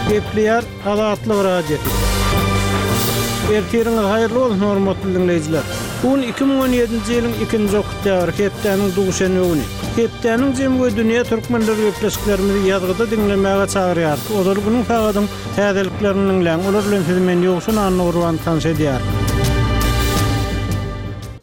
Gepleýär Azatlyk Radiosy. Ertiriňiz haýyrly bolsun, hormatly diňleýjiler! Bu gün 2017-nji ýylyň ikinji oktýabry, hepdäniň duşenbe güni. Hepdäniň jemi we dünýä türkmenleri gepleşiklerimizi ýazgyda diňlemäge çagyrýarys. Ozal günüň sagadyň täzeliklerini diňläň, olar bilen sizi men Ýowşan Annagurban tanyş edýärin.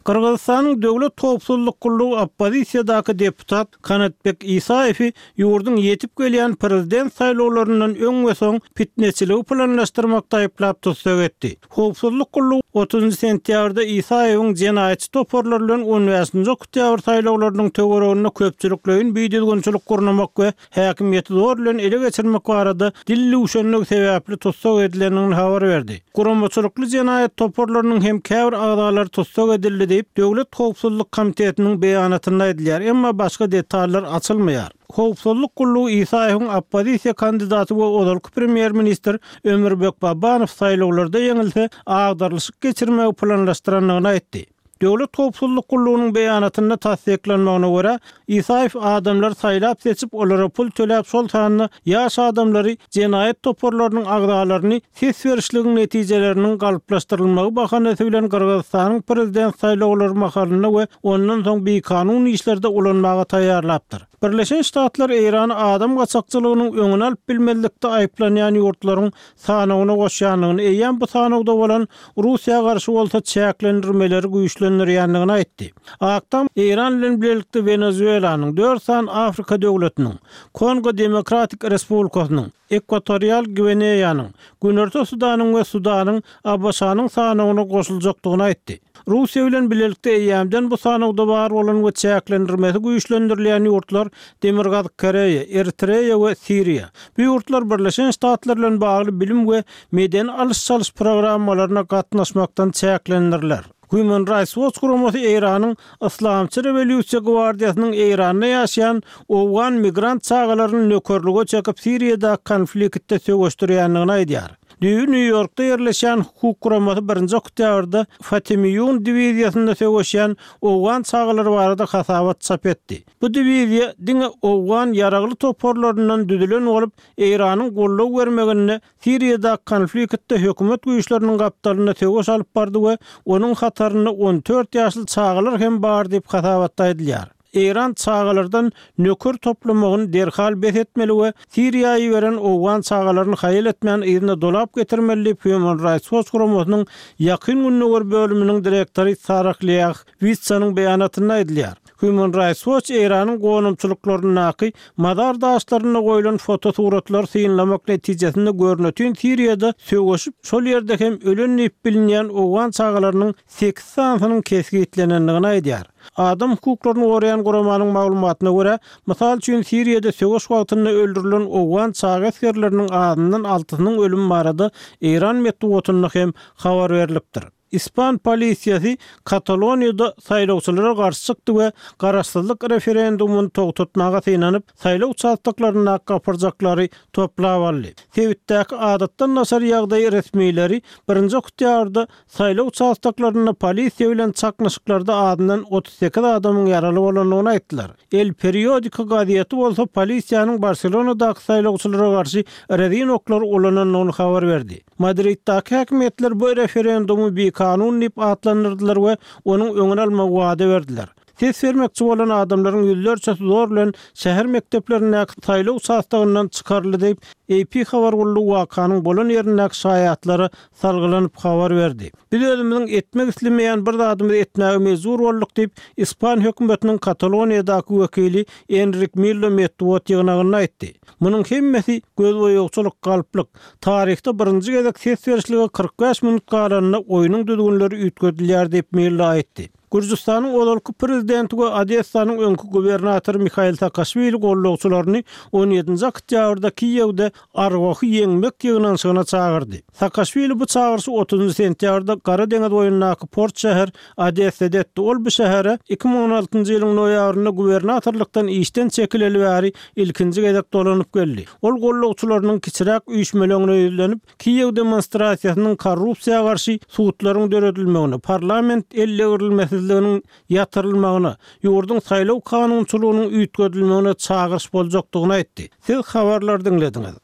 Gyrgyzystanyň Döwlet howpsuzlyk gullugy oppozisiýadaky deputat Kanatbek Isaýewi ýurduň ýetip gelýän prezident saýlawlaryndan öň we soň pitneçiligi planlaşdyrmakda aýyplap tussag etdi. Howpsuzlyk gullugy otuzynjy sentýabrda Isaýewiň jenaýatçy toparlar bilen on bäşinji oktýabr saýlawlarynyň töwereginde köpçülikleýin bidüzgünçilik gurnamak we häkimiýeti zor bilen ele geçirmek barada dil düwşenligi sebäpli tussag edilendigini habar berdi. Guramaçylykly jenaýat toparlarynyň hem käbir agzalary tussag edildi diýip, Döwlet howpsuzlyk komitetiniň beýanatynda aýdylýar, emma başga detallar açylmaýar. Howpsuzlyk gullugy Isaýewiň oppozisiýa kandidaty we ozalky premýer-ministr Ömürbek Babanow saýlawlarda ýeňilse, agdarylyşyk geçirmegi planlaşdyrandygyny aýtdy. Döwlet howpsuzlyk gullugynyň beýanatynda tassyklanmagyna görä, Isaýew adamlary saýlap-seçip, olara pul töläp, şol sanda ýaş adamlary jenaýat toparlarynyň agzalaryny ses berişligiň netijeleriniň galplaşdyrylmagy bahanasy bilen Gyrgyzystanyň prezident saýlawlary mahalynda we ondan soň bikanun işlerde ulanmaga taýýarlapdyr. Birleşen Ştatlar Eýrany adam gaçakçylygynyň öňüni alyp bilmezlikde aýyplanýan ýurtlaryň sanawyna goşýandygyny, eýýäm bu sanawda bolan Russiýa garşy bolsa çäklendirmeleri güýçlendirýändigini aýtdy. Ak Tam Eýran bilen bilelikde Wenezuelanyň, dört sany Afrika döwletiniň, Kongo Demokratik Respublikasynyň, Ekwatorial Gwineýanyň, Günorta Sudanyň we Sudanyň ABŞ-nyň sanawyna goşuljakdygyny aýtdy. Russiýa bilen bilelikde eýýämden bu sanawda bar bolan we çäklendirmesi güýçlendirilýän ýurtlar Demirgazyk Koreýa, Eritreýa we Siriýa. Bu ýurtlar Birleşen Ştatlar bilen bagly bilim we medeni alyş-çalyş programmalaryna gatnaşmakdan çäklendiriler. Human Rights Watch guramasy Eýranyň Yslamçy rewolýusiýa gwardiýasynyň Eýranda ýaşaýan owgan migrant çagalaryny nökerlige çekip Siriýadaky konfliktde söweşdirýändigini aýdýar. Düýbi Nýu-Ýorkda ýerleşýän hukuk guramasy birinji oktýabrda Fatemiýun diwiziýasynda söweşýän owgan çagalary barada hasabat çap etdi. Bu diwiziýa diňe owgan ýaragly toparlaryndan düzülen bolup, Eýranyň goldaw bermeginde Siriýadaky konfliktde hökümet güýçleriniň gapdalynda söweş alyp bardy we onuň hatarynda 14 ýaşly çagalar hem bar diýip hasabatda aýdylýar. Eýran çagalardan nöker toplamagyny derhal bes etmeli we Siriýa iberen owgan çagalaryny haýal etmän yzyna dolap getirmeli diýip Human Rights Watch guramasynyň Ýakyn Gündogar bölüminiň direktory Sarah Leah Witsanyň beýanatynda aýdylýar. Human Rights Watch Eýranyň gonamçylyklaryndaky mazar daşlarynda goýlan fotosuratlary synlamak netijesinde görnetin Siriýada söweşip, şol ýerde hem ölen diýip bilinýän owgan çagalarynyň sekiz sanysynyň kesgitlenendigini aýdýar. Adam hukuklaryny goraýan guramanyň maglumatyna görä, mysal üçin, Siriýada söweş wagtynda öldürilen owgan çaga esgerleriniň azyndan altysynyň ölümi barada eýran metbugatynda hem habar berlipdir. Ispan polisiýasy Kataloniýada saýlawçylara garşy çykdy we garaşsyzlyk referendumyny togtatmaga synanyp, saýlaw uçastoklaryndaky gapyrjaklary toplap aldy. Sebitdäki adatdan daşary ýagdaý resmileri birinji oktýabrda Saýlaw uçastoklarynda polisiýa bilen çaknyşyklarda azyndan 38 adamyň ýaraly bolandygyny aýtdylar. El Periodiko gazeti bolsa polisiýanyň Barselonadaky saýlawçylara garşy rezin oklary ulanandygyny habar berdi. Madriddaky häkimiýetler bu referendumy bikanun diýip atlandyrdylar we onuň öňüni almagy wada berdiler. Ses bermekçi bolan adamlaryň ýüzlerçesi zor bilen şäher mekdeplerindäki saýlaw uçastogyndan çykaryldy diýip, AP habar gullugy wakanyň bolan ýerindäki şaýatlara salgylanyp habar berdi. Biz özümiziň etmek islemeýän bir zadymyzy etmäge mejbur bolduk diýip, ispan hökümetiniň Kataloniýadaky wekili Enrik Millo metbugat ýygnagynda aýtdy. Munuň hemmesi gözboýagçylyk, galplyk. Taryhda birinji gezek ses berişlige 45 minut galanda oýnuň düzgünleri üýtgedilýär diýip, Millo aýtdy. Gürjüstanyň ozalky prezidenti we Odessanyň öňki gubernatory Mihail Saakaşwili goldawçylaryny on ýedinji oktýabrda Kiýewde Arwahy ýeňmek ýygnanyşygyna çagyrdy. Saakaşwili bu çagyryşy otuzynjy sentýabrda Gara deňiz boýundaky port şäher Odessada etdi. Ol bu şähere 2016-njy ýylyň noýabrynda gubernatorlykdan işden çekileli bäri ilkinji gezek dolanyp geldi. Ol goldawçylarynyň kiçiräk üýşmeleňine ýüzlenip, Kiýew demonstrasiýasynyň korrupsiýa garşy sudlaryň döredilmegine, parlament eldegrilmesizliginiň ýatyrylmagyna, ýurduň saýlaw kanunçylygynyň üýtgedilmegine çagyryş boljakdygyny aýtdy. Siz habarlary diňlediňiz.